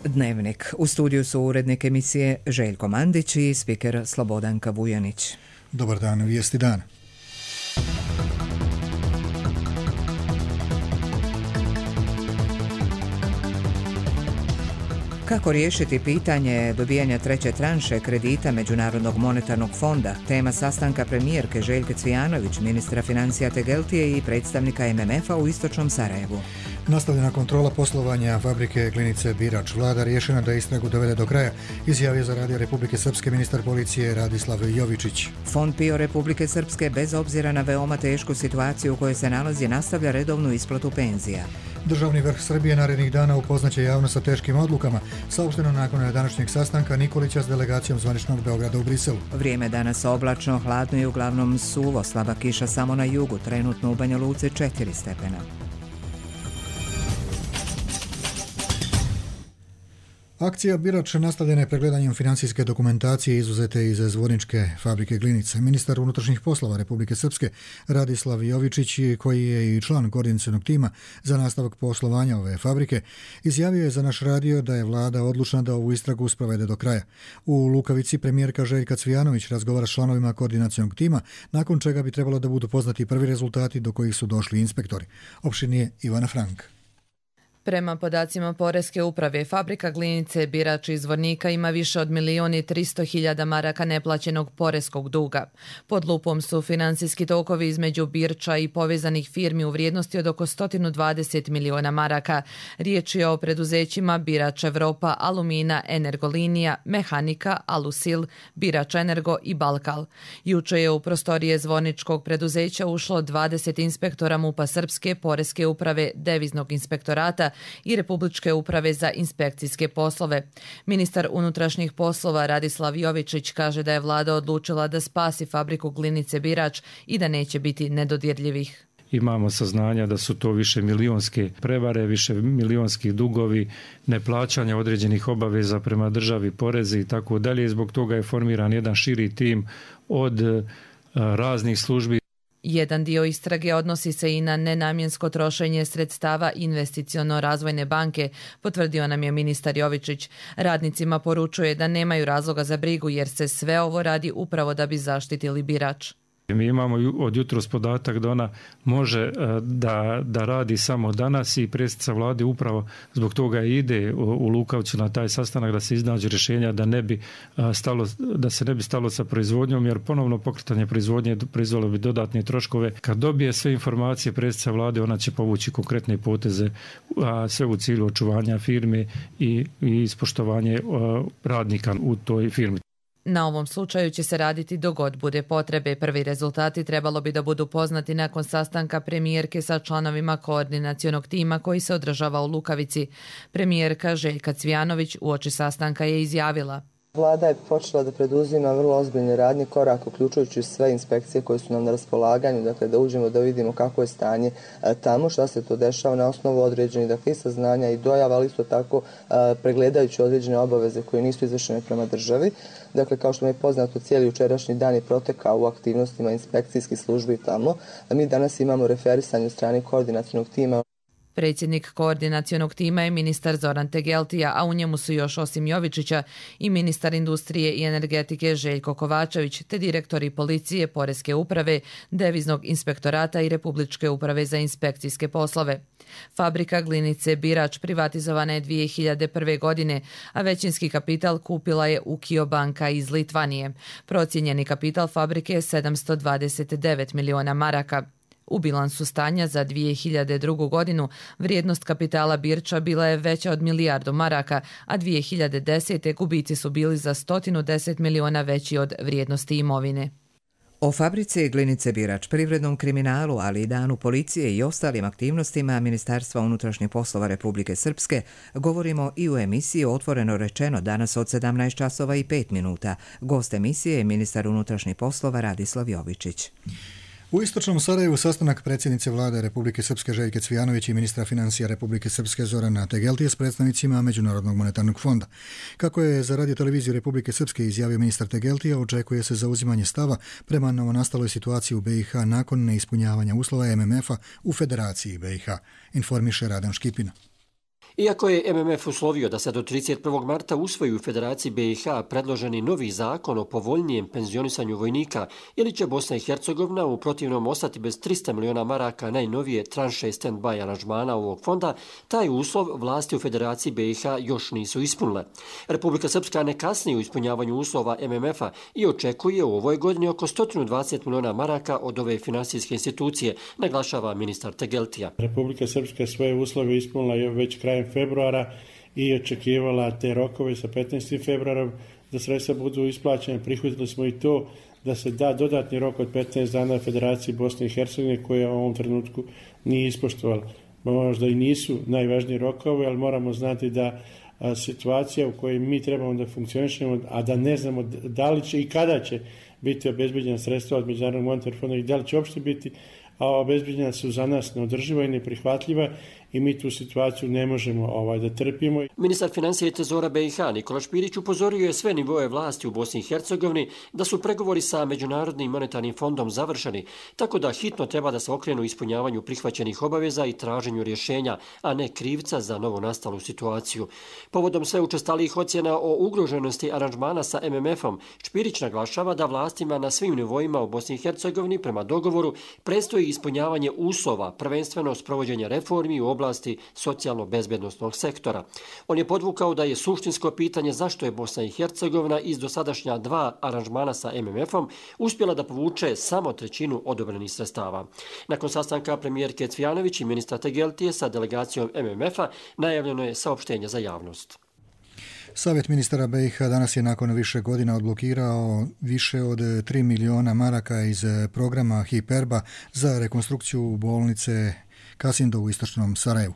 Dnevnik. U studiju su urednik emisije Željko Mandić i spiker Slobodanka Vujanić. Dobar dan, vijesti dana. Kako riješiti pitanje dobijanja treće tranše kredita Međunarodnog monetarnog fonda? Tema sastanka premijerke Željke Cvijanović, ministra financija Tegeltije i predstavnika MMF-a u istočnom Sarajevu. Nastavljena kontrola poslovanja fabrike Glinice Birač. Vlada rješena da istragu dovede do kraja, izjavio za Radio Republike Srpske ministar policije Radislav Jovičić. Fond PIO Republike Srpske, bez obzira na veoma tešku situaciju u kojoj se nalazi, nastavlja redovnu isplatu penzija. Državni vrh Srbije narednih dana upoznaće javnost sa teškim odlukama, saopšteno nakon današnjeg sastanka Nikolića s delegacijom zvaničnog Beograda u Briselu. Vrijeme danas oblačno, hladno i uglavnom suvo, slaba kiša samo na jugu, trenutno u Banja Luci 4 stepena. Akcija Birač nastavljena je pregledanjem financijske dokumentacije izuzete iz zvorničke fabrike Glinice. Ministar unutrašnjih poslova Republike Srpske Radislav Jovičić, koji je i član koordinacionog tima za nastavak poslovanja ove fabrike, izjavio je za naš radio da je vlada odlučna da ovu istragu sprovede do kraja. U Lukavici premijerka Željka Cvijanović razgovara s članovima koordinacionog tima, nakon čega bi trebalo da budu poznati prvi rezultati do kojih su došli inspektori. Opširnije Ivana Frank. Prema podacima Poreske uprave, fabrika Glinice Birač iz Zvornika ima više od 1.300.000 maraka neplaćenog poreskog duga. Pod lupom su financijski tokovi između Birča i povezanih firmi u vrijednosti od oko 120 miliona maraka. Riječ je o preduzećima Birač Evropa, Alumina, Energolinija, Mehanika, Alusil, Birač Energo i Balkal. Juče je u prostorije zvorničkog preduzeća ušlo 20 inspektora MUP-a Srpske, Poreske uprave, Deviznog inspektorata i Republičke uprave za inspekcijske poslove. Ministar unutrašnjih poslova Radislav Jovičić kaže da je vlada odlučila da spasi fabriku Glinice Birač i da neće biti nedodirljivih. Imamo saznanja da su to više milionske prevare, više milionski dugovi, neplaćanja određenih obaveza prema državi, porezi i tako dalje. Zbog toga je formiran jedan širi tim od raznih službi. Jedan dio istrage odnosi se i na nenamjensko trošenje sredstava Investiciono-razvojne banke, potvrdio nam je ministar Jovičić. Radnicima poručuje da nemaju razloga za brigu jer se sve ovo radi upravo da bi zaštitili Birač. Mi imamo od jutros podatak da ona može da radi samo danas i predsjednica vlade upravo zbog toga ide u Lukavcu na taj sastanak da se iznađe rješenja da se ne bi stalo sa proizvodnjom, jer ponovno pokretanje proizvodnje proizvelo bi dodatne troškove. Kad dobije sve informacije predsjednica vlade, ona će povući konkretne poteze, a sve u cilju očuvanja firme i ispoštovanje radnika u toj firmi. Na ovom slučaju će se raditi dok god bude potrebe. Prvi rezultati trebalo bi da budu poznati nakon sastanka premijerke sa članovima koordinacionog tima koji se održava u Lukavici. Premijerka Željka Cvijanović uoči sastanka je izjavila: Vlada je počela da preduzima vrlo ozbiljni radni korak, uključujući sve inspekcije koje su nam na raspolaganju, dakle da uđemo da vidimo kako je stanje tamo, šta se to dešava na osnovu određenih i saznanja i dojava, ali isto tako pregledajući određene obaveze koje nisu izvršene prema državi. Dakle, kao što mi je poznato, cijeli jučerašnji dan je protekao u aktivnostima inspekcijskih službi tamo. Mi danas imamo referisanje od strane koordinacionog tima. Predsjednik koordinacionog tima je ministar Zoran Tegeltija, a u njemu su još osim Jovičića i ministar industrije i energetike Željko Kovačević, te direktori policije, Poreske uprave, Deviznog inspektorata i Republičke uprave za inspekcijske poslove. Fabrika Glinice Birač privatizovana je 2001. godine, a većinski kapital kupila je Ukio banka iz Litvanije. Procijenjeni kapital fabrike je 729 miliona maraka. U bilansu stanja za 2002. godinu vrijednost kapitala Birča bila je veća od milijardu maraka, a 2010. gubici su bili za 110 miliona veći od vrijednosti imovine. O fabrici Glinice Birač, privrednom kriminalu, ali i danu policije i ostalim aktivnostima Ministarstva unutrašnjih poslova Republike Srpske govorimo i u emisiji Otvoreno rečeno danas od 17 časova i 5 minuta. Gost emisije je ministar unutrašnjih poslova Radislav Jovičić. U istočnom Sarajevu sastanak predsjednice vlade Republike Srpske Željke Cvijanović i ministra financija Republike Srpske Zorana Tegeltije s predstavnicima Međunarodnog monetarnog fonda. Kako je za Radio televiziju Republike Srpske izjavio ministar Tegeltija, očekuje se zauzimanje stava prema novonastaloj situaciji u BiH nakon neispunjavanja uslova MMF-a u Federaciji BiH, informiše Radan Škipina. Iako je MMF uslovio da se do 31. marta usvoji u Federaciji BiH predloženi novi zakon o povoljnijem penzionisanju vojnika, ili će Bosna i Hercegovina u protivnom ostati bez 300 miliona maraka najnovije tranše stand-by aranžmana ovog fonda, taj uslov vlasti u Federaciji BiH još nisu ispunile. Republika Srpska ne kasni u ispunjavanju uslova MMF-a i očekuje u ovoj godini oko 120 miliona maraka od ove finansijske institucije, naglašava ministar Tegeltija. Republika Srpska svoje uslove ispunila već krajem februara i očekivala te rokove sa 15. februarom da sredstva budu isplaćene. Prihvatili smo i to da se da dodatni rok od 15 dana Federaciji Bosne i Hercegovine koja u ovom trenutku nije ispoštovala. Možda i nisu najvažniji rokovi, ali moramo znati da situacija u kojoj mi trebamo da funkcionišemo, a da ne znamo da li će i kada će biti obezbeđena sredstva od Međunarodnog monetarnog fonda i da li će uopšte biti, a obezbeđena su za nas neodrživa i neprihvatljiva i mi tu situaciju ne možemo da trpimo. Ministar financija i trezora BiH Nikola Špirić upozorio je sve nivoe vlasti u Bosni i Hercegovini da su pregovori sa Međunarodnim monetarnim fondom završeni, tako da hitno treba da se okrenu ispunjavanju prihvaćenih obaveza i traženju rješenja, a ne krivca za novonastalu situaciju. Povodom sve učestalijih ocjena o ugroženosti aranžmana sa MMF-om, Špirić naglašava da vlastima na svim nivoima u Bosni i Hercegovini prema dogovoru predstoji ispunjavanje uslova, prvenstveno sprovođenja reformi u oblasti socijalno-bezbednostnog sektora. On je podvukao da je suštinsko pitanje zašto je Bosna i Hercegovina iz dosadašnja 2 aranžmana sa MMF-om uspjela da povuče samo 1/3 odobrenih sredstava. Nakon sastanka premijerke Cvijanović i ministra Tegeltije sa delegacijom MMF-a najavljeno je saopštenje za javnost. Savjet ministara BiH danas je nakon više godina odblokirao više od 3 miliona maraka iz programa HIPERBA za rekonstrukciju bolnice Kasindo u istočnom Sarajevu.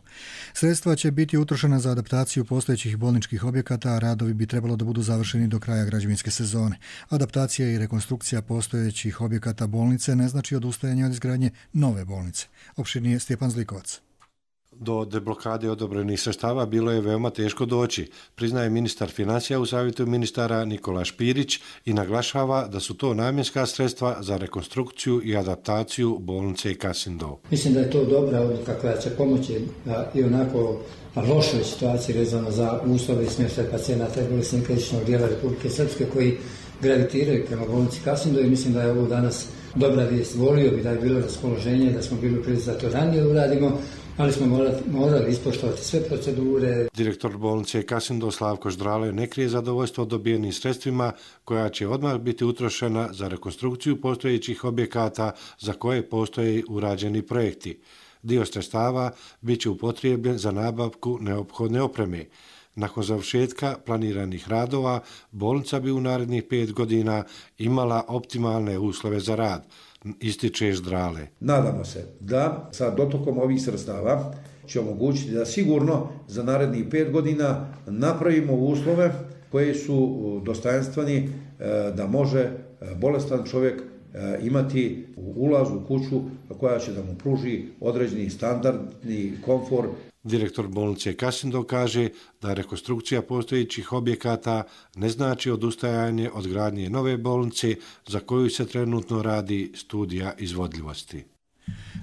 Sredstva će biti utrošena za adaptaciju postojećih bolničkih objekata, a radovi bi trebalo da budu završeni do kraja građevinske sezone. Adaptacija i rekonstrukcija postojećih objekata bolnice ne znači odustajanje od izgradnje nove bolnice. Opširnije Stjepan Zlikovac. Do deblokade odobrenih sredstava bilo je veoma teško doći, priznaje ministar financija u savjetu ministara Nikola Špirić i naglašava da su to namjenska sredstva za rekonstrukciju i adaptaciju bolnice Kasindo. Mislim da je to dobra odluka koja će pomoći i onako lošoj situaciji vezano za uslove i smještaj pacijenata i bolesnika istočnog dijela Republike Srpske koji gravitiraju prema bolnici Kasindo i mislim da je ovo danas dobra vijest. Volio bi da je bilo raspoloženje, da smo bili u prilici da to ranije uradimo, ali smo morali ispoštovati sve procedure. Direktor bolnice Kasindo Slavko Ždrale ne krije zadovoljstvo dobijenim sredstvima koja će odmah biti utrošena za rekonstrukciju postojećih objekata za koje postoje urađeni projekti. Dio sredstava bit će upotrijebljen za nabavku neophodne opreme. Nakon završetka planiranih radova, bolnica bi u narednih 5 godina imala optimalne uslove za rad, ističe Ždrale. Nadamo se da sa dotokom ovih sredstava će omogućiti da sigurno za narednih 5 godina napravimo uslove koji su dostojanstveni da može bolestan čovjek imati ulaz u kuću koja će da mu pruži određeni standardni komfor. Direktor bolnice Kasindo kaže da rekonstrukcija postojećih objekata ne znači odustajanje od gradnje nove bolnice za koju se trenutno radi studija izvodljivosti.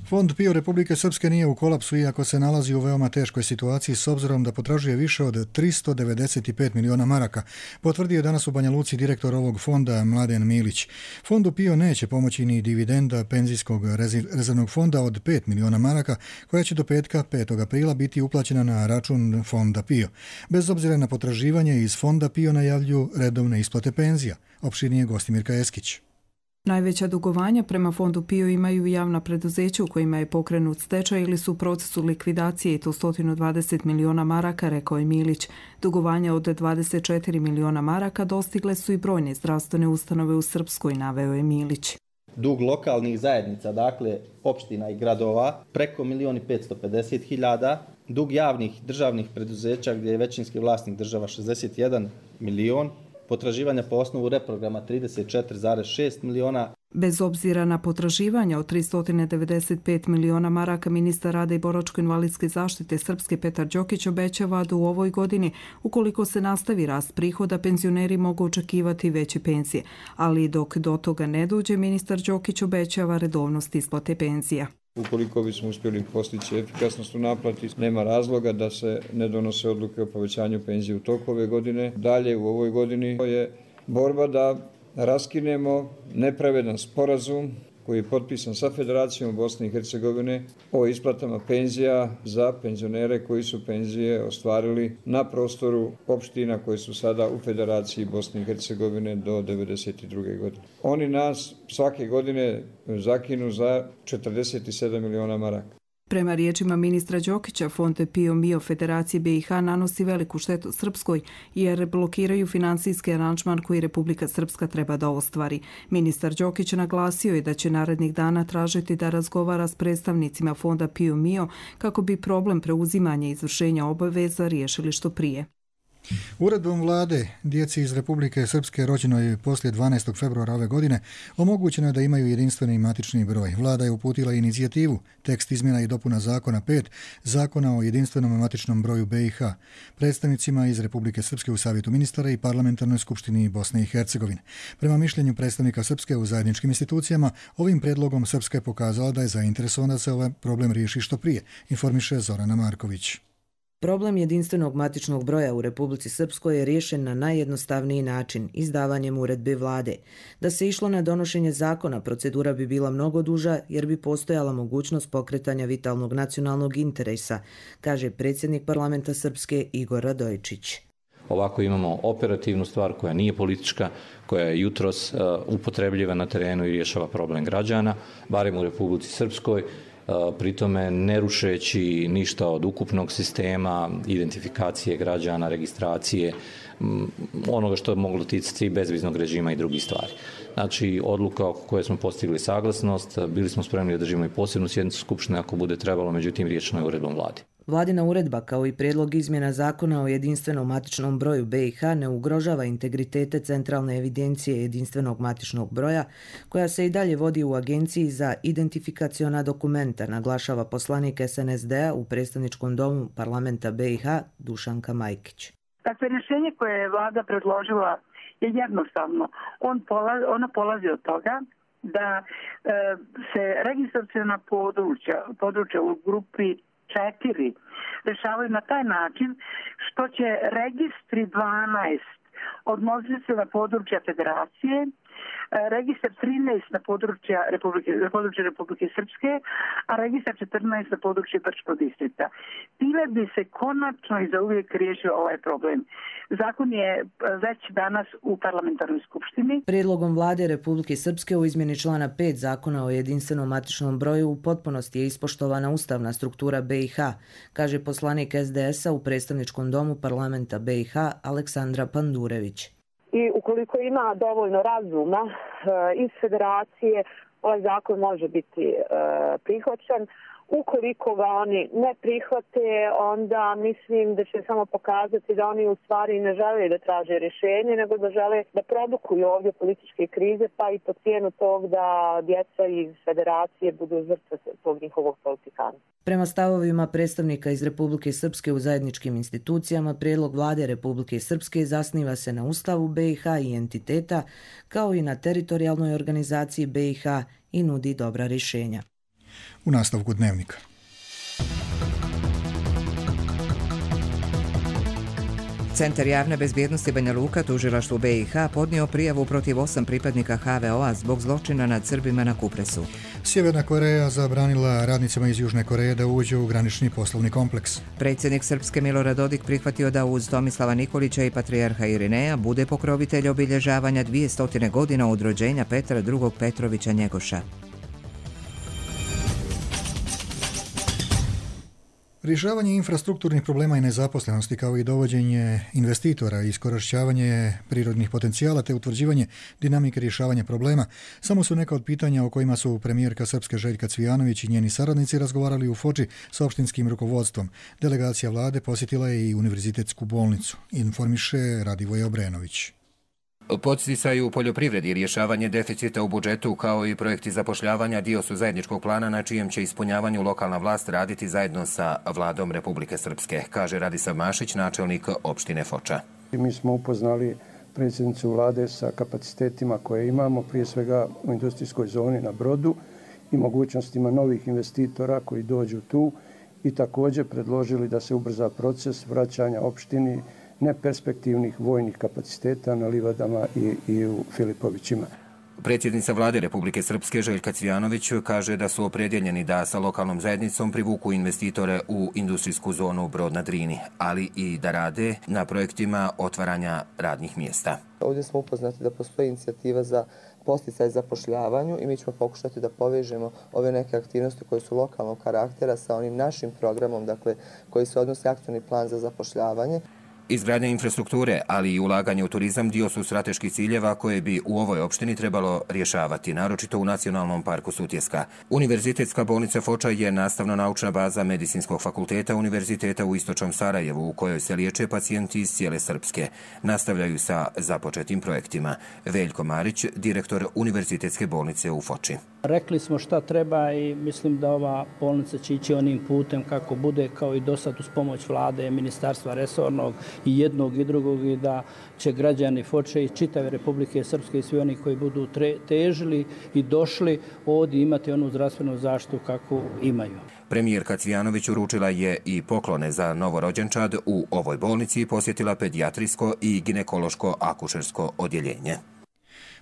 Fond PIO Republike Srpske nije u kolapsu iako se nalazi u veoma teškoj situaciji s obzirom da potražuje više od 395 miliona maraka, potvrdio je danas u Banja Luci direktor ovog fonda Mladen Milić. Fondu PIO neće pomoći ni dividenda penzijskog rezervnog fonda od 5 miliona maraka koja će do petka 5. aprila biti uplaćena na račun fonda PIO. Bez obzira na potraživanje iz fonda PIO najavljuju redovne isplate penzija. Opširnije Gostimirka Eskić. Najveća dugovanja prema fondu PIO imaju javna preduzeća u kojima je pokrenut stečaj ili su u procesu likvidacije i to 120 miliona maraka, rekao je Milić. Dugovanja od 24 miliona maraka dostigle su i brojne zdravstvene ustanove u Srpskoj, naveo je Milić. Dug lokalnih zajednica, dakle opština i gradova, preko 1.550.000, dug javnih državnih preduzeća gdje je većinski vlasnik država 61 milion, potraživanja po osnovu reprograma 34,6 miliona. Bez obzira na potraživanja od 395 miliona maraka, ministar rada i boračko-invalidske zaštite Srpske Petar Đokić obećava da u ovoj godini, ukoliko se nastavi rast prihoda, penzioneri mogu očekivati veće penzije. Ali dok do toga ne dođe, ministar Đokić obećava redovnost isplate penzija. Ukoliko bismo uspjeli postići efikasnost u naplati, nema razloga da se ne donose odluke o povećanju penzije u toku ove godine. Dalje u ovoj godini je borba da raskinemo nepravedan sporazum koji je potpisan sa Federacijom Bosne i Hercegovine o isplatama penzija za penzionere koji su penzije ostvarili na prostoru opština koji su sada u Federaciji Bosne i Hercegovine do 1992. godine. Oni nas svake godine zakinu za 47 miliona maraka. Prema riječima ministra Đokića, fond Pio Mio Federacije BiH nanosi veliku štetu Srpskoj jer blokiraju financijski aranžman koji Republika Srpska treba da ostvari. Ministar Đokić naglasio je da će narednih dana tražiti da razgovara s predstavnicima fonda Pio Mio kako bi problem preuzimanja i izvršenja obaveza riješili što prije. Uredbom vlade djeci iz Republike Srpske rođenoj poslije 12. februara ove godine omogućeno je da imaju jedinstveni matični broj. Vlada je uputila inicijativu, tekst izmjena i dopuna zakona 5, zakona o jedinstvenom matičnom broju BiH, predstavnicima iz Republike Srpske u Savjetu ministara i Parlamentarnoj skupštini Bosne i Hercegovine. Prema mišljenju predstavnika Srpske u zajedničkim institucijama, ovim predlogom Srpska je pokazala da je zainteresovana da se ovaj problem riješi što prije, informiše Zorana Marković. Problem jedinstvenog matičnog broja u Republici Srpskoj je riješen na najjednostavniji način, izdavanjem uredbe vlade. Da se išlo na donošenje zakona, procedura bi bila mnogo duža jer bi postojala mogućnost pokretanja vitalnog nacionalnog interesa, kaže predsjednik parlamenta Srpske Igor Radojičić. Ovako imamo operativnu stvar koja nije politička, koja je jutros upotrebljiva na terenu i rješava problem građana, barem u Republici Srpskoj, pritome ne rušeći ništa od ukupnog sistema, identifikacije građana, registracije, onoga što je moglo ticati bezviznog režima i drugih stvari. Znači, odluka oko koje smo postigli saglasnost, bili smo spremni da držimo i posebnu sjednicu Skupštine ako bude trebalo, međutim riješeno je uredbom vlade. Vladina uredba kao i prijedlog izmjena zakona o jedinstvenom matičnom broju BiH ne ugrožava integritete centralne evidencije jedinstvenog matičnog broja koja se i dalje vodi u Agenciji za identifikaciona dokumenta, naglašava poslanik SNSD-a u predstavničkom domu parlamenta BiH Dušanka Majkić. Dakle, rješenje koje je vlada predložila je jednostavno. Ona polazi od toga da se registraciona područja u grupi 4 rešavaju na taj način što će registri 12 odnositi se na područja federacije, registar 13 na područje Republike Srpske, a registar 14 na područje Brčkog distrikta. Time bi se konačno i zauvijek riješio ovaj problem. Zakon je već danas u parlamentarnoj skupštini. Prijedlogom vlade Republike Srpske u izmjeni člana 5 zakona o jedinstvenom matičnom broju u potpunosti je ispoštovana ustavna struktura BiH, kaže poslanik SDS-a u predstavničkom domu parlamenta BiH Aleksandra Pandurević. I ukoliko ima dovoljno razuma iz federacije, ovaj zakon može biti prihvaćen. Ukoliko ga oni ne prihvate, onda mislim da će samo pokazati da oni u stvari ne žele da traže rješenje, nego da žele da produkuju ovdje političke krize, pa i po cijenu tog da djeca iz federacije budu žrtve tog njihovog politikana. Prema stavovima predstavnika iz Republike Srpske u zajedničkim institucijama, prijedlog vlade Republike Srpske zasniva se na Ustavu BiH i entiteta, kao i na teritorijalnoj organizaciji BiH i nudi dobra rješenja. U nastavku dnevnika. Centar javne bezbjednosti Banja Luka tužilaštvu BiH podnio prijavu protiv 8 pripadnika HVO-a zbog zločina nad Srbima na Kupresu. Sjeverna Koreja zabranila radnicima iz Južne Koreje da uđu u granični poslovni kompleks. Predsjednik Srpske Milorad Dodik prihvatio da uz Tomislava Nikolića i patrijarha Irineja bude pokrovitelj obilježavanja 200 godina od rođenja Petra II. Petrovića Njegoša. Rješavanje infrastrukturnih problema i nezaposlenosti kao i dovođenje investitora i iskorištavanje prirodnih potencijala te utvrđivanje dinamike rješavanja problema samo su neka od pitanja o kojima su premijerka Srpske Željka Cvijanović i njeni saradnici razgovarali u Foči s opštinskim rukovodstvom. Delegacija vlade posjetila je i univerzitetsku bolnicu, informiše Radivoje Obrenović. Podsticaj u poljoprivredi i rješavanje deficita u budžetu kao i projekti zapošljavanja dio su zajedničkog plana na čijem će ispunjavanju lokalna vlast raditi zajedno sa vladom Republike Srpske, kaže Radisav Mašić, načelnik opštine Foča. Mi smo upoznali predsjednicu vlade sa kapacitetima koje imamo, prije svega u industrijskoj zoni na Brodu i mogućnostima novih investitora koji dođu tu i također predložili da se ubrza proces vraćanja opštini neperspektivnih vojnih kapaciteta na livadama i u Filipovićima. Predsjednica vlade Republike Srpske Željka Cvijanović kaže da su opredjeljeni da sa lokalnom zajednicom privuku investitore u industrijsku zonu Brod na Drini, ali i da rade na projektima otvaranja radnih mjesta. Ovdje smo upoznati da postoji inicijativa za podsticaj zapošljavanju i mi ćemo pokušati da povežemo ove neke aktivnosti koje su lokalnog karaktera sa onim našim programom, dakle, koji se odnosi akcioni plan za zapošljavanje. Izgradnja infrastrukture, ali i ulaganje u turizam dio su strateških ciljeva koje bi u ovoj opštini trebalo rješavati, naročito u Nacionalnom parku Sutjeska. Univerzitetska bolnica Foča je nastavno-naučna baza Medicinskog fakulteta Univerziteta u Istočnom Sarajevu, u kojoj se liječe pacijenti iz cijele Srpske. Nastavljaju sa započetim projektima. Veljko Marić, direktor Univerzitetske bolnice u Foči. Rekli smo šta treba i mislim da ova bolnica će ići onim putem kako bude, kao i do sad uz pomoć vlade, ministarstva resornog i jednog i drugog, i da će građani Foče i čitave Republike Srpske i svi oni koji budu težili i došli ovdje imati onu zdravstvenu zaštitu kakvu imaju. Premijerka Cvijanović uručila je i poklone za novorođenčad. U ovoj bolnici posjetila pedijatrijsko i ginekološko akušersko odjeljenje.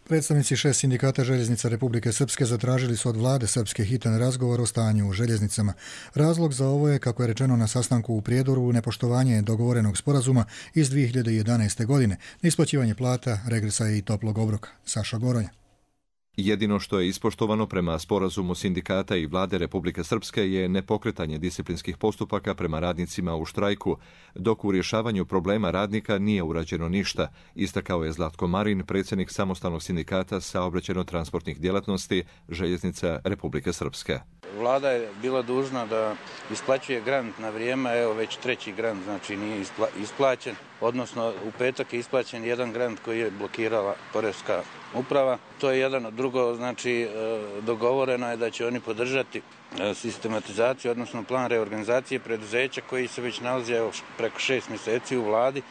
Predstavnici 6 sindikata željeznica Republike Srpske zatražili su od vlade Srpske hitan razgovor o stanju u željeznicama. Razlog za ovo je, kako je rečeno na sastanku u Prijedoru, nepoštovanje dogovorenog sporazuma iz 2011. godine, neisplaćivanje plata, regresa i toplog obroka. Saša Goronja. Jedino što je ispoštovano prema sporazumu sindikata i vlade Republike Srpske je nepokretanje disciplinskih postupaka prema radnicima u štrajku, dok u rješavanju problema radnika nije urađeno ništa, istakao je Zlatko Marin, predsjednik samostalnog sindikata saobraćajno-transportnih djelatnosti Željeznica Republike Srpske. Vlada je bila dužna da isplaćuje grant na vrijeme, evo već treći grant, znači nije isplaćen, odnosno u petak je isplaćen jedan grant koji je blokirala Poreska uprava. To je jedan od drugo, znači dogovoreno je da će oni podržati sistematizaciju, odnosno plan reorganizacije preduzeća koji se već nalazi preko 6 mjeseci u vladi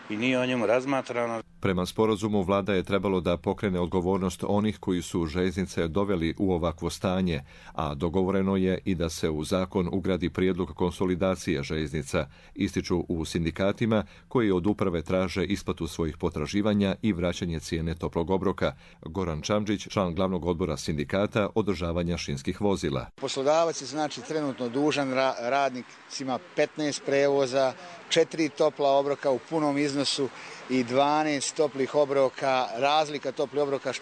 i nije o njemu razmatrano. Prema sporazumu vlada je trebalo da pokrene odgovornost onih koji su željeznice doveli u ovakvo stanje, a dogovoreno je i da se u zakon ugradi prijedlog konsolidacije željeznica, ističu u sindikatima koji od uprave traže isplatu svojih potraživanja i vraćanje cijene toplog obroka. Goran Čamđić, član glavnog odbora sindikata održavanja šinskih vozila. Poslodavac je znači trenutno dužan radnicima 15 prevoza, 4 topla obroka u punom iznosu i 12 toplih obroka, razlika toplih obroka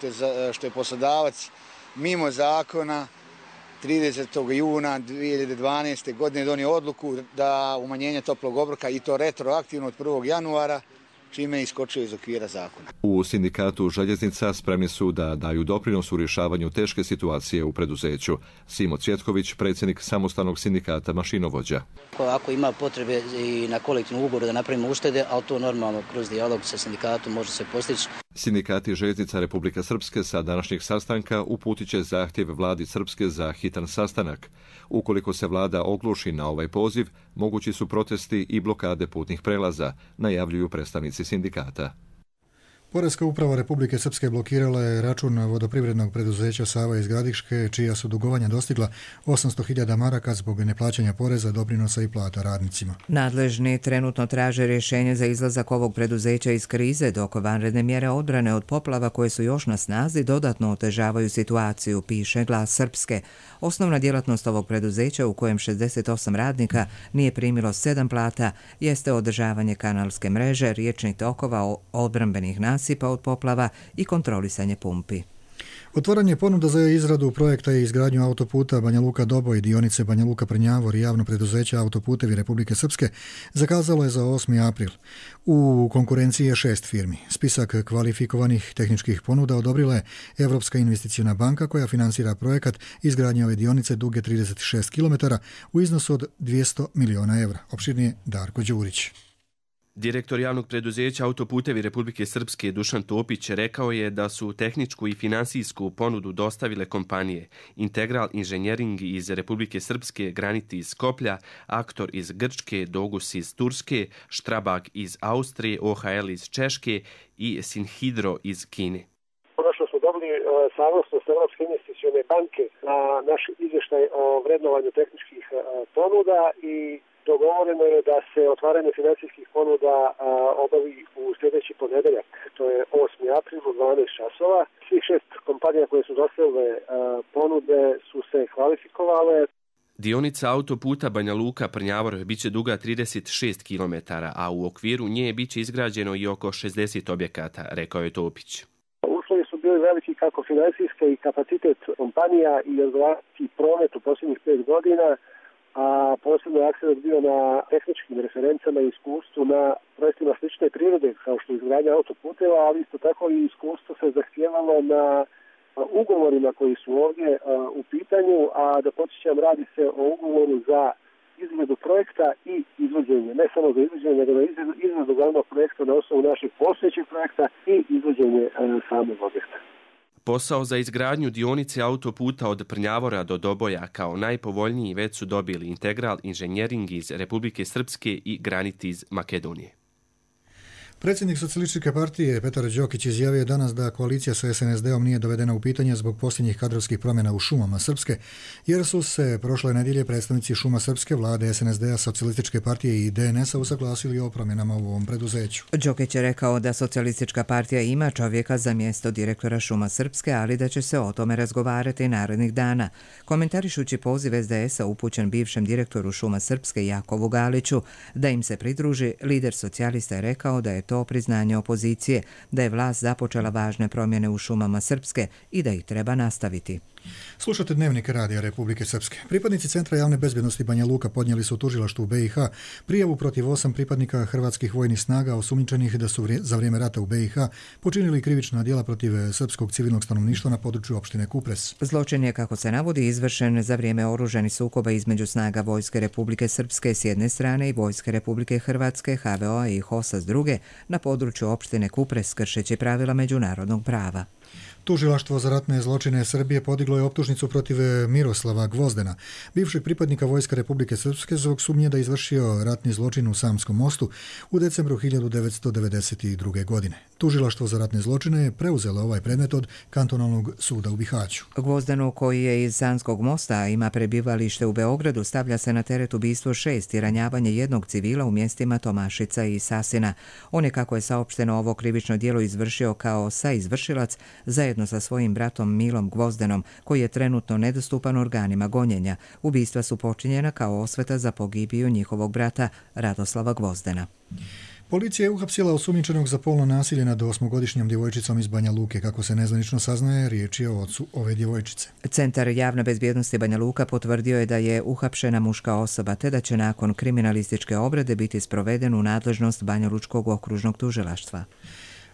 što je poslodavac mimo zakona 30. juna 2012. godine donio odluku da umanjenje toplog obroka i to retroaktivno od 1. januara, čime je iskočio iz okvira zakona. U sindikatu željeznica spremni su da daju doprinos u rješavanju teške situacije u preduzeću. Simo Cvjetković, predsjednik samostalnog sindikata mašinovođa. Ako ima potrebe i na kolektivnom ugovoru da napravimo uštede, ali to normalno kroz dijalog sa sindikatom može se postići. Sindikati željeznica Republike Srpske sa današnjeg sastanka uputit će zahtjev vladi Srpske za hitan sastanak. Ukoliko se vlada ogluši na ovaj poziv, mogući su protesti i blokade putnih prelaza, najavljuju predstavnici sindikata. Poreska uprava Republike Srpske blokirala je račun vodoprivrednog preduzeća Sava iz Gradiške, čija su dugovanja dostigla 800.000 maraka zbog neplaćanja poreza, doprinosa i plata radnicima. Nadležni trenutno traže rješenje za izlazak ovog preduzeća iz krize, dok vanredne mjere odbrane od poplava koje su još na snazi dodatno otežavaju situaciju, piše Glas Srpske. Osnovna djelatnost ovog preduzeća, u kojem 68 radnika nije primilo 7 plata, jeste održavanje kanalske mreže, riječnih tokova, odbrambenih nasipa od poplava i kontrolisanje pumpi. Otvaranje ponuda za izradu projekta i izgradnju autoputa Banja Luka-Doboj, dionice Banja Luka-Prnjavor i javno preduzeće Autoputevi Republike Srpske zakazalo je za 8. april. U konkurenciji je 6 firmi. Spisak kvalifikovanih tehničkih ponuda odobrila je Evropska investicijna banka koja finansira projekat izgradnje ove dionice duge 36 km u iznosu od 200 miliona evra. Opširnije Darko Đurić. Direktor javnog preduzeća Autoputevi Republike Srpske Dušan Topić rekao je da su tehničku i finansijsku ponudu dostavile kompanije Integral Inženjering iz Republike Srpske, Graniti iz Skoplja, Aktor iz Grčke, Dogus iz Turske, Štrabag iz Austrije, OHL iz Češke i Sinhidro iz Kine. Ono što smo dobili sa saglasnost Europske investicione banke na naš izvještaj o vrednovanju tehničkih ponuda i dogovoreno je da se otvaranje financijskih ponuda obavi u sljedeći ponedeljak, to je 8. april u 12 časova. Svih 6 kompanija koje su dostavile ponude su se kvalifikovale. Dionica autoputa Banja Luka-Prnjavor biće duga 36 km, a u okviru nje biće izgrađeno i oko 60 objekata, rekao je Topić. Uslovi su bili veliki kako financijske i kapacitet kompanija i odgovarajući promet u posljednjih 5 godina, a posebno je akcent bio na tehničkim referencama i iskustvu na projektima slične prirode kao što je izgradnja autoputeva, ali isto tako i iskustvo se zahtijevalo na ugovorima koji su ovdje u pitanju, a da podsjećam, radi se o ugovoru za izradu projekta i izvođenje, ne samo za izvođenje, nego na izradu glavnog projekta na osnovu našeg postojećeg projekta i izvođenje samog objekta. Posao za izgradnju dionice autoputa od Prnjavora do Doboja kao najpovoljniji već su dobili Integral Inženjering iz Republike Srpske i Granit iz Makedonije. Predsjednik Socijalističke partije Petar Đokić izjavio danas da koalicija sa SNSD-om nije dovedena u pitanje zbog posljednjih kadrovskih promjena u šumama Srpske, jer su se prošle nedjelje predstavnici šuma Srpske, vlade SNSD-a, Socijalističke partije i DNS-a usaglasili o promjenama u ovom preduzeću. Đokić je rekao da Socijalistička partija ima čovjeka za mjesto direktora šuma Srpske, ali da će se o tome razgovarati narednih dana. Komentarišući poziv SDS-a upućen bivšem direktoru šuma Srpske Jakovu Galiću da im se pridruži, lider socijalista je rekao da je to priznanje opozicije, da je vlast započela važne promjene u šumama Srpske i da ih treba nastaviti. Slušate Dnevnik Radija Republike Srpske. Pripadnici Centra javne bezbjednosti Banja Luka podnijeli su u tužilaštvu BiH prijavu protiv 8 pripadnika hrvatskih vojnih snaga osumnjičenih da su za vrijeme rata u BiH počinili krivična djela protiv srpskog civilnog stanovništva na području opštine Kupres. Zločin je, kako se navodi, izvršen za vrijeme oružanih sukoba između snaga Vojske Republike Srpske s jedne strane i Vojske Republike Hrvatske, HVO-a i HOS-a s druge na području opštine Kupres, kršeći pravila međunarodnog prava. Tužilaštvo za ratne zločine Srbije podiglo je optužnicu protiv Miroslava Gvozdena, bivšeg pripadnika Vojske Republike Srpske, zbog sumnje da je izvršio ratni zločin u Samskom mostu u decembru 1992. godine. Tužilaštvo za ratne zločine je preuzelo ovaj predmet od kantonalnog suda u Bihaću. Gvozdenu, koji je iz Samskog mosta, a ima prebivalište u Beogradu, stavlja se na teret ubistvo 6 i ranjavanje jednog civila u mjestima Tomašica i Sasina. On je, kako je saopšteno, ovo krivično djelo izvršio kao saizvršilac zajedno sa svojim bratom Milom Gvozdenom, koji je trenutno nedostupan organima gonjenja. Ubistva su počinjena kao osveta za pogibiju njihovog brata Radoslava Gvozdena. Policija je uhapsila osumnjičenog za polno nasilje nad 8-godišnjom djevojčicom iz Banja Luke. Kako se nezvanično saznaje, riječ je o ocu ove djevojčice. Centar javne bezbjednosti Banja Luka potvrdio je da je uhapšena muška osoba, te da će nakon kriminalističke obrade biti sproveden u nadležnost Banja Lučkog okružnog tužilaštva.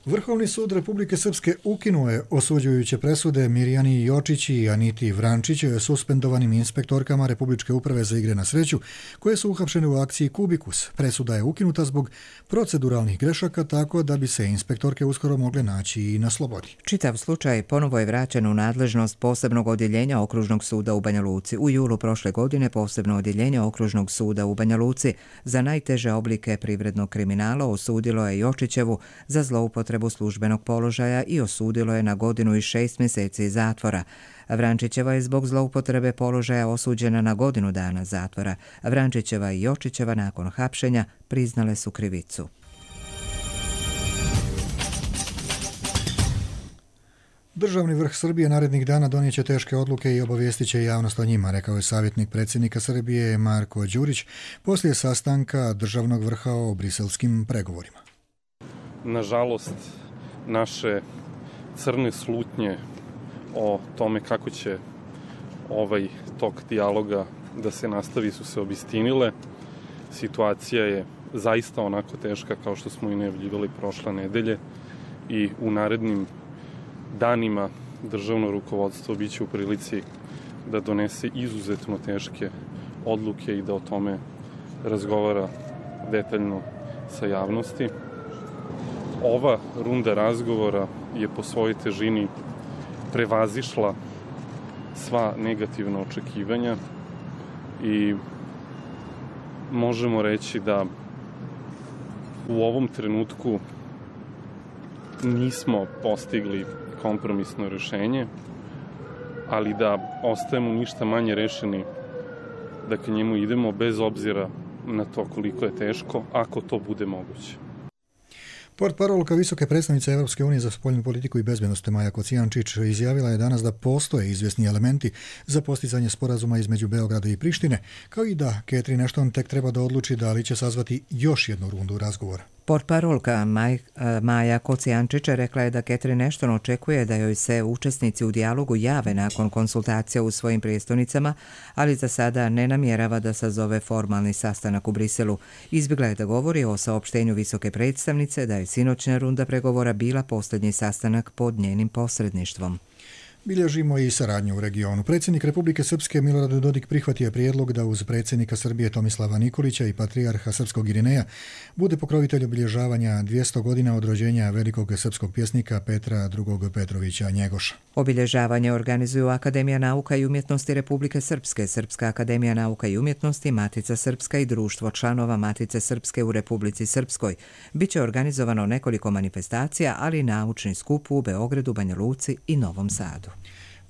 Vrhovni sud Republike Srpske ukinuo je osuđujuće presude Mirjani Jočić i Aniti Vrančić, suspendovanim inspektorkama Republičke uprave za igre na sreću, koje su uhapšene u akciji Kubikus. Presuda je ukinuta zbog proceduralnih grešaka, tako da bi se inspektorke uskoro mogle naći i na slobodi. Čitav slučaj ponovo je vraćen u nadležnost posebnog odjeljenja Okružnog suda u Banja Luci. U julu prošle godine posebno odjeljenje Okružnog suda u Banja Luci za najteže oblike privrednog kriminala osudilo je Jočićevu za zloupotrebu službenog položaja i osudilo je na 1 godinu i 6 mjeseci zatvora. Vrančićeva je zbog zloupotrebe položaja osuđena na 1 godinu dana zatvora. Vrančićeva i Jočićeva nakon hapšenja priznale su krivicu. Državni vrh Srbije narednih dana donijet će teške odluke i obavijestit će javnost o njima, rekao je savjetnik predsjednika Srbije Marko Đurić poslije sastanka državnog vrha o briselskim pregovorima. Nažalost, naše crne slutnje o tome kako će ovaj tok dijaloga da se nastavi su se obistinile. Situacija je zaista onako teška kao što smo i najavljivali prošle nedelje i u narednim danima državno rukovodstvo biće u prilici da donese izuzetno teške odluke i da o tome razgovara detaljno sa javnosti. Ova runda razgovora je po svojoj težini prevazišla sva negativna očekivanja i možemo reći da u ovom trenutku nismo postigli kompromisno rješenje, ali da ostajemo ništa manje rešeni da ka njemu idemo bez obzira na to koliko je teško, ako to bude moguće. Portparolka visoke predstavnice Europske unije za spoljnu politiku i bezbednost Maja Kocijančić izjavila je danas da postoje izvjesni elementi za postizanje sporazuma između Beograda i Prištine, kao i da Catherine Ashton tek treba da odluči da li će sazvati još jednu rundu razgovora. Portparolka Maja Kocijančić rekla je da Catherine Ashton očekuje da joj se učesnici u dijalogu jave nakon konsultacija u svojim prijestolnicama, ali za sada ne namjerava da sazove formalni sastanak u Briselu. Izbjegla je da govori o saopštenju visoke predstavnice da je sinoćna runda pregovora bila posljednji sastanak pod njenim posredništvom. Bilježimo i saradnju u regionu. Predsjednik Republike Srpske Milorad Dodik prihvatio prijedlog da uz predsjednika Srbije Tomislava Nikolića i patrijarha srpskog Irineja bude pokrovitelj obilježavanja 200 godina od rođenja velikog srpskog pjesnika Petra II. Petrovića Njegoša. Obilježavanje organizuju Akademija nauka i umjetnosti Republike Srpske, Srpska akademija nauka i umjetnosti, Matica Srpska i društvo članova Matice Srpske u Republici Srpskoj. Biće organizovano nekoliko manifestacija, ali i naučni skup u Beogradu, Banja Luci i Novom Sadu.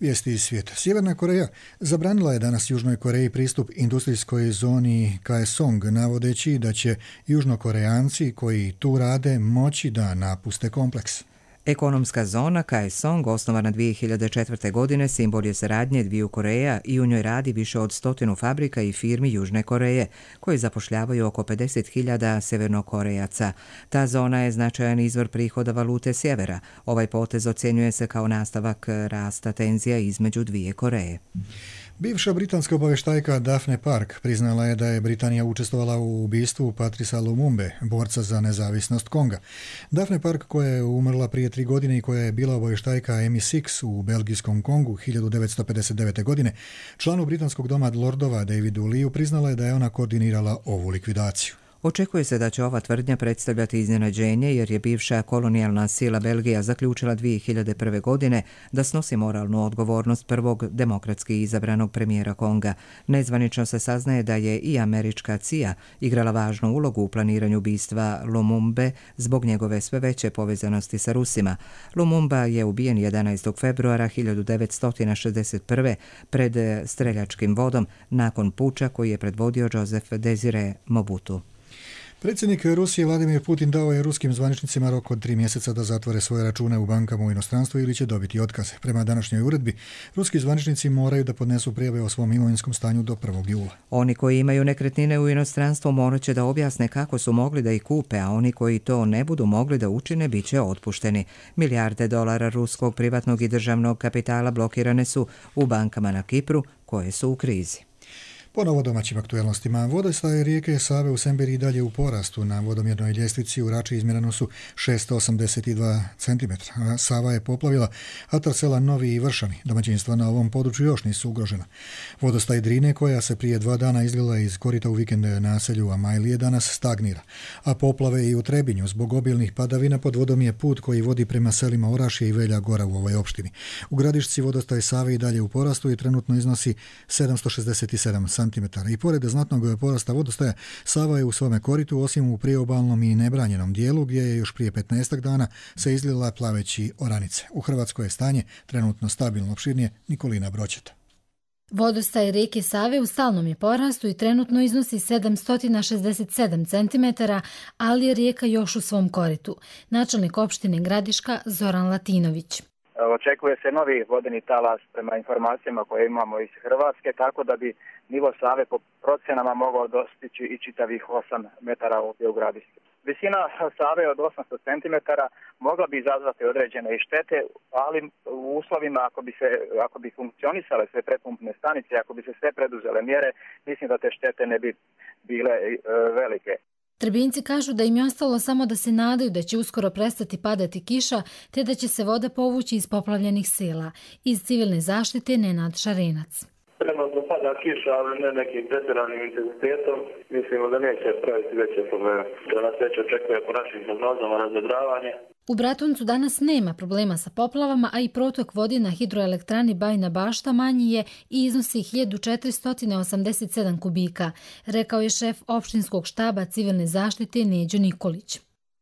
Vijesti iz svijeta. Sjeverna Koreja zabranila je danas Južnoj Koreji pristup industrijskoj zoni Kaesong, navodeći da će Južnokorejanci koji tu rade moći da napuste kompleks. Ekonomska zona Kaesong, osnovana 2004. godine, simbol je saradnje dviju Koreja i u njoj radi više od 100 fabrika i firmi Južne Koreje, koje zapošljavaju oko 50.000 severnokorejaca. Ta zona je značajan izvor prihoda valute sjevera. Ovaj potez ocjenjuje se kao nastavak rasta tenzija između dvije Koreje. Bivša britanska obavještajka Daphne Park priznala je da je Britanija učestvovala u ubistvu Patrisa Lumumbe, borca za nezavisnost Konga. Daphne Park, koja je umrla prije 3 godine i koja je bila obavještajka MI6 u belgijskom Kongu 1959. godine, članu britanskog doma lordova Davidu Leeu priznala je da je ona koordinirala ovu likvidaciju. Očekuje se da će ova tvrdnja predstavljati iznenađenje jer je bivša kolonijalna sila Belgija zaključila 2001. godine da snosi moralnu odgovornost prvog demokratski izabranog premijera Konga. Nezvanično se saznaje da je i američka CIA igrala važnu ulogu u planiranju ubistva Lumumbe zbog njegove sve veće povezanosti sa Rusima. Lumumba je ubijen 11. februara 1961. pred streljačkim vodom nakon puča koji je predvodio Joseph Desire Mobutu. Predsjednik Rusije Vladimir Putin dao je ruskim zvaničnicima rok od 3 mjeseca da zatvore svoje račune u bankama u inostranstvu ili će dobiti otkaze. Prema današnjoj uredbi, ruski zvaničnici moraju da podnesu prijave o svom imovinskom stanju do 1. jula. Oni koji imaju nekretnine u inostranstvu morat će da objasne kako su mogli da ih kupe, a oni koji to ne budu mogli da učine bit će otpušteni. Milijarde dolara ruskog privatnog i državnog kapitala blokirane su u bankama na Kipru koje su u krizi. Ponovo domaćim aktuelnostima. Vodostaj rijeke Save u Semberi dalje u porastu. Na vodomjernoj ljestvici u Rači izmjereno su 682 cm. Sava je poplavila atar sela Novi i Vršani. Domaćinstva na ovom području još nisu ugrožena. Vodostaj Drine, koja se prije 2 dana izlila iz korita u vikend naselju Amajlije, danas stagnira. A poplave i u Trebinju zbog obilnih padavina pod vodom je put koji vodi prema selima Orašje i Velja Gora u ovoj opštini. U Gradišci vodostaj Save i dalje u porastu i trenutno iznosi 767 cm. I pored znatnog porasta vodostaja, Sava je u svome koritu, osim u priobalnom i nebranjenom dijelu, gdje je još prije 15 dana se izlila plaveći oranice. U Hrvatskoj je stanje trenutno stabilno. Opširnije Nikolina Broćeta. Vodostaj rijeke Save u stalnom je porastu i trenutno iznosi 767 cm, ali je rijeka još u svom koritu. Načelnik opštine Gradiška Zoran Latinović. Očekuje se novi vodeni talas prema informacijama koje imamo iz Hrvatske, tako da bi nivo Save po procenama mogao dostići i čitavih 8 metara ovdje u Gradištu. Visina Save od 800 cm mogla bi izazvati određene i štete, ali u uslovima ako bi funkcionisale sve prepumpne stanice, ako bi se sve preduzele mjere, mislim da te štete ne bi bile velike. Trebinci kažu da im je ostalo samo da se nadaju da će uskoro prestati padati kiša, te da će se voda povući iz poplavljenih sela. Iz civilne zaštite Nenad Šarenac. Trenutno pada kiša, ali ne nekim pretjeranim intenzitetom. Mislimo da neće praviti veće probleme. Da nas već očekuje po našim prognozama razvedravanje. U Bratuncu danas nema problema sa poplavama, a i protok vode na hidroelektrani Bajina Bašta manji je i iznosi 1487 kubika, rekao je šef opštinskog štaba civilne zaštite Neđo Nikolić.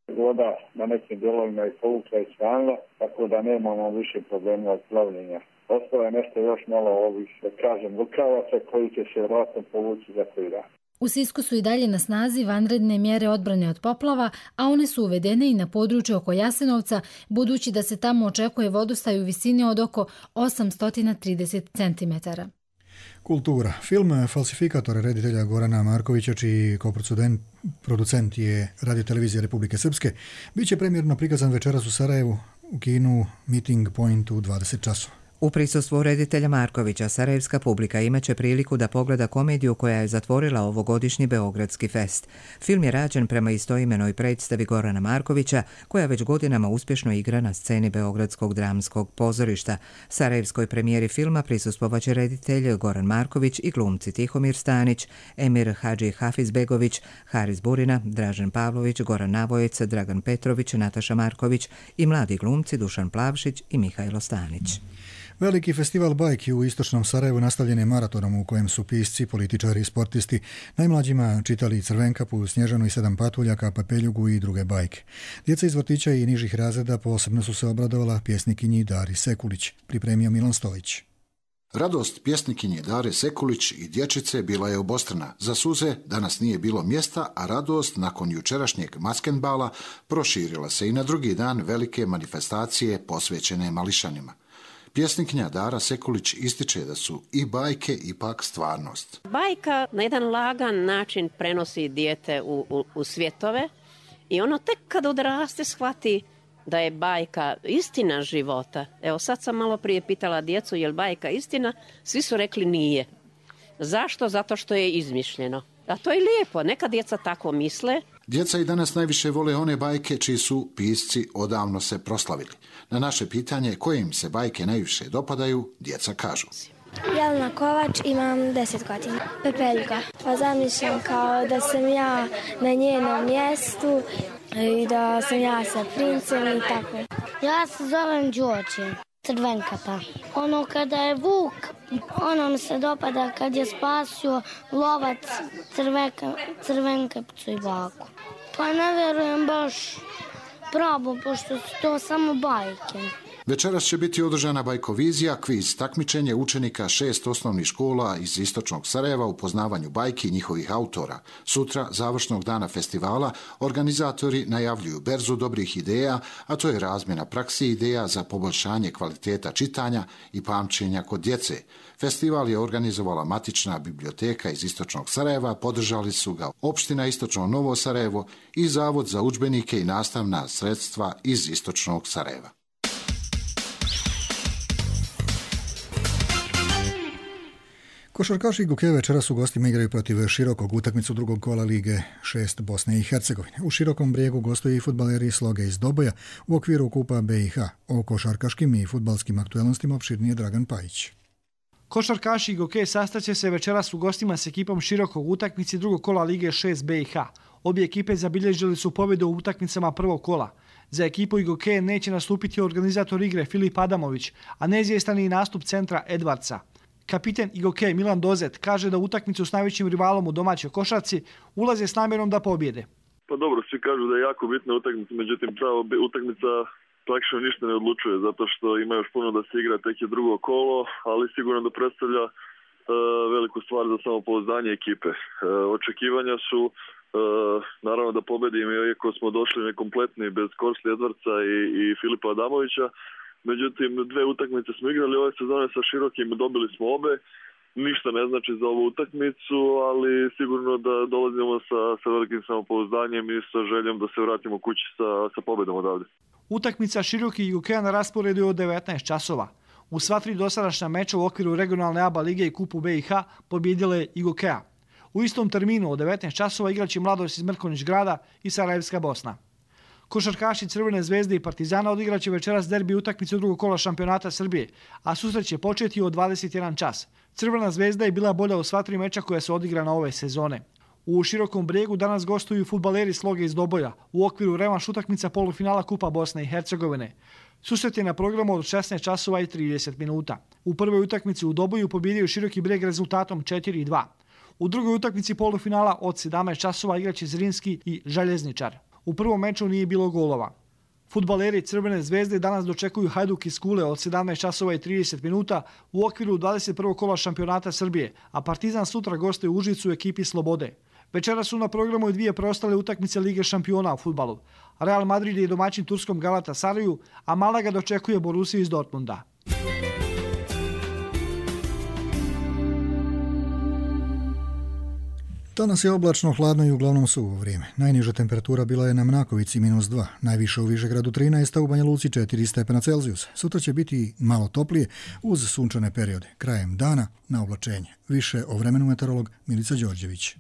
Voda na nekim dijelovima je povukla i svanila, tako da nemamo više problema od plavljenja. Ostalo je nešto još malo ovih, da kažem, lukavaca koji će se vratno povući za koji dan. U Sisku su i dalje na snazi vanredne mjere odbrane od poplava, a one su uvedene i na području oko Jasenovca, budući da se tamo očekuje vodostaj u visini od oko 830 cm. Kultura. Film Falsifikator reditelja Gorana Markovića, čiji koproducent je Radio-televizija Republike Srpske, bit će premijerno prikazan večeras u Sarajevu u kinu Meeting Point u 20 časova. U prisustvu reditelja Markovića, sarajevska publika imaće priliku da pogleda komediju koja je zatvorila ovogodišnji Beogradski fest. Film je rađen prema istoimenoj predstavi Gorana Markovića, koja već godinama uspješno igra na sceni Beogradskog dramskog pozorišta. Sarajevskoj premijeri filma prisustvovaće reditelj Goran Marković i glumci Tihomir Stanić, Emir Hadži Hafizbegović, Haris Burina, Dražen Pavlović, Goran Navojec, Dragan Petrović, Nataša Marković i mladi glumci Dušan Plavšić i Mihajlo Stanić. Veliki festival bajki u istočnom Sarajevu nastavljen je maratonom u kojem su pisci, političari i sportisti najmlađima čitali Crvenkapu, Snježanu i 7 patuljaka, Papeljugu i druge bajke. Djeca iz vrtića i nižih razreda posebno su se obradovala pjesnikinji Dari Sekulić, pripremio Milan Stojić. Radost pjesnikinje Dare Sekulić i dječice bila je obostrana. Za suze danas nije bilo mjesta, a radost nakon jučerašnjeg maskenbala proširila se i na drugi dan velike manifestacije posvećene mališanima. Pjesnikinja Dara Sekulić ističe da su i bajke ipak stvarnost. Bajka na jedan lagan način prenosi dijete u svjetove i ono tek kad odraste shvati da je bajka istina života. Evo sad sam malo prije pitala djecu je li bajka istina, svi su rekli nije. Zašto? Zato što je izmišljeno. A to je lijepo, neka djeca tako misle. Djeca i danas najviše vole one bajke čiji su pisci odavno se proslavili. Na naše pitanje koje im se bajke najviše dopadaju, djeca kažu. Jelena Kovač, imam 10 godina. Pepeljuga. Pa zamišljam kao da sam ja na njenom mjestu i da sam ja sa princem i tako. Ja se zovem Đorđe. Crvenkapa. Ono kada je vuk, ono mi se dopada kad je spasio lovac Crvenkapcu i baku. Pa ne vjerujem baš pravo, pošto su to samo bajke. Večeras će biti održana bajkovizija, kviz takmičenje učenika 6 osnovnih škola iz istočnog Sarajeva u poznavanju bajki i njihovih autora. Sutra, završnog dana festivala, organizatori najavljuju berzu dobrih ideja, a to je razmjena praksi ideja za poboljšanje kvaliteta čitanja i pamćenja kod djece. Festival je organizovala matična biblioteka iz istočnog Sarajeva, podržali su ga opština Istočno Novo Sarajevo i Zavod za udžbenike i nastavna sredstva iz istočnog Sarajeva. Košarkaši Guke večeras u gostima igraju protiv Širokog utakmicu drugog kola Lige 6 Bosne i Hercegovine. U Širokom Brijegu gostuju i fudbaleri Sloge iz Doboja u okviru Kupa BiH. O košarkaškim i fudbalskim aktuelnostima opširnije Dragan Pajić. Košarkaši Guke sastaće se večeras u gostima s ekipom Širokog utakmici drugog kola Lige 6 BiH. Obje ekipe zabilježili su pobjedu u utakmicama prvog kola. Za ekipu Guke neće nastupiti organizator igre Filip Adamović, a neizvjestan je i nastup centra Edvardsa. Kapiten Igoke Milan Dozet kaže da utakmicu s najvećim rivalom u domaćoj košarci ulaze s namjerom da pobjede. Pa dobro, svi kažu da je jako bitna utakmica, međutim ta utakmica praktično ništa ne odlučuje, zato što ima još puno da se igra, tek je drugo kolo, ali sigurno da predstavlja veliku stvar za samopouzdanje ekipe. Očekivanja su naravno da pobedimo, iako smo došli nekompletni bez Korsli Edvardsa i Filipa Adamovića. Međutim, 2 utakmice smo igrali ove sezone sa Širokim, dobili smo obe. Ništa ne znači za ovu utakmicu, ali sigurno da dolazimo sa velikim samopouzdanjem i sa željom da se vratimo kući sa pobedom odavde. Utakmica Široki i Gukeja na rasporedu je od 19 časova. U sva 3 dosadašnja meča u okviru regionalne ABA lige i Kupu BiH pobjedila je i Gukeja. U istom terminu od 19 časova igraće Mladost iz Mrkonjić grada i Sarajevska Bosna. Košarkaši Crvene zvezde i Partizana odigraće večeras derbi utakmicu drugog kola šampionata Srbije, a susret će početi od 21 čas. Crvena zvezda je bila bolja u sva 3 meča koja su odigrana ove sezone. U Širokom Brijegu danas gostuju fudbaleri Sloge iz Doboja u okviru revanš utakmica polufinala Kupa Bosne i Hercegovine. Susret je na programu od 16 časova i 30 minuta. U prvoj utakmici u Doboju pobjedio Široki Brijeg rezultatom 4-2. U drugoj utakmici polufinala od 17 časova igraće Zrinski i Željezničar. U prvom meču nije bilo golova. Fudbaleri Crvene zvezde danas dočekuju Hajduk iz Kule od 17 časova i 30 minuta u okviru 21. kola šampionata Srbije, a Partizan sutra gostuje u Užicu u ekipi Slobode. Večera su na programu i dvije preostale utakmice Lige šampiona u fudbalu. Real Madrid je domaćin turskom Galatasaraju, a Malaga dočekuje Borussiju iz Dortmunda. Danas je oblačno, hladno i uglavnom suvo vrijeme. Najniža temperatura bila je na Mnakovici -2, najviše u Višegradu 13, a u Banja Luci 4 stepena Celzijusa. Sutra će biti malo toplije uz sunčane periode. Krajem dana na oblačenje. Više o vremenu meteorolog Milica Đorđević.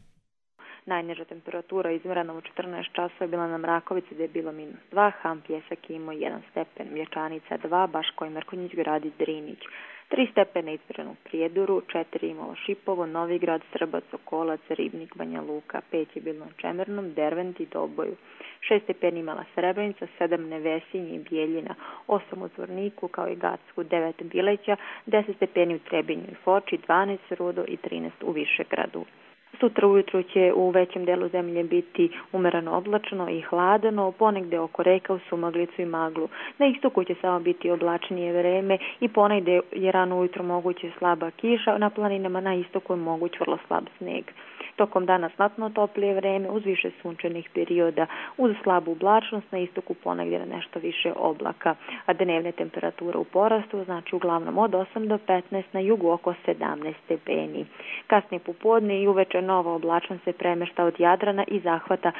Najniža temperatura izmjerena u 14 časova je bila na Mrakovici gdje je bilo -2, Ham Pjesak imao 1 stepen, Mlječanica 2, Baško i Mrkonjić gradi Drinić. 3 stepena izmjereno u Prijedoru, 4 imalo Šipovo, Novigrad, Srbac, Okolac, Ribnik, Banja Luka, 5 je bilo na Čemernom, Dervent i Doboju. 6 stepeni imala Srebrenica, 7 Nevesinje i Bijeljina, 8 u Zvorniku kao i Gacku, 9 Bileća, 10 stepeni u Trebinju i Foči, 12 Rudo i 13 u Višegradu. Sutra ujutru će u većem delu zemlje biti umereno oblačno i hladno, ponegde oko reka u sumaglicu i maglu. Na istoku će samo biti oblačnije vreme i ponegde je rano ujutro moguće slaba kiša, na planinama na istoku je moguć vrlo slab sneg. Tokom dana znatno toplije vreme uz više sunčanih perioda, uz slabu oblačnost, na istoku ponegdje nešto više oblaka, a dnevne temperature u porastu, znači uglavnom od 8 do 15, na jugu oko 17 stepeni. Kasnije popodne i uveče nova oblačnost se premešta od Jadrana i zahvata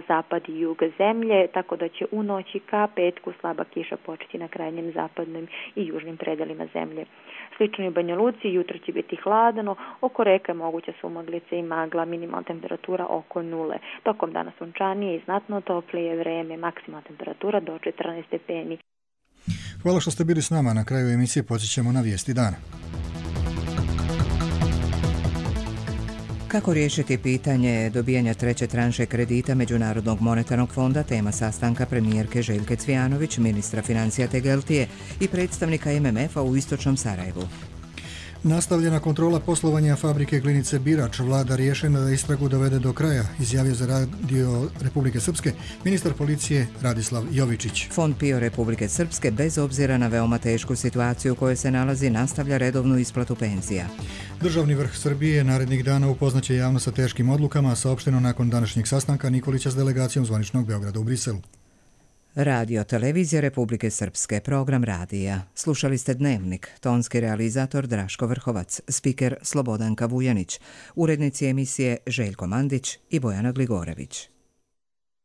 zapad i jug zemlje, tako da će u noći ka petku slaba kiša početi na krajnjem zapadnim i južnim predelima zemlje. Slično i u Banja Luci, jutro će biti hladno, oko reka je moguća sumaglica i magla, minimalna temperatura oko 0. Tokom dana sunčanije i znatno toplije vreme, maksimalna temperatura do 14 stepeni. Hvala što ste bili s nama. Na kraju emisije podsjećamo na vijesti dana. Kako riješiti pitanje dobijanja treće tranše kredita Međunarodnog monetarnog fonda, tema sastanka premijerke Željke Cvijanović, ministra financija Tegeltije i predstavnika MMF-a u istočnom Sarajevu. Nastavljena kontrola poslovanja fabrike Glinice Birač, vlada rješena da istragu dovede do kraja, izjavio za Radio Republike Srpske ministar policije Radislav Jovičić. Fond PIO Republike Srpske, bez obzira na veoma tešku situaciju u kojoj se nalazi, nastavlja redovnu isplatu penzija. Državni vrh Srbije narednih dana upoznaće javnost sa teškim odlukama, saopšteno nakon današnjeg sastanka Nikolića s delegacijom zvaničnog Beograda u Briselu. Radio Televizija Republike Srpske, program radija. Slušali ste Dnevnik, tonski realizator Draško Vrhovac, spiker Slobodanka Vujanić, urednici emisije Željko Mandić i Bojana Gligorević.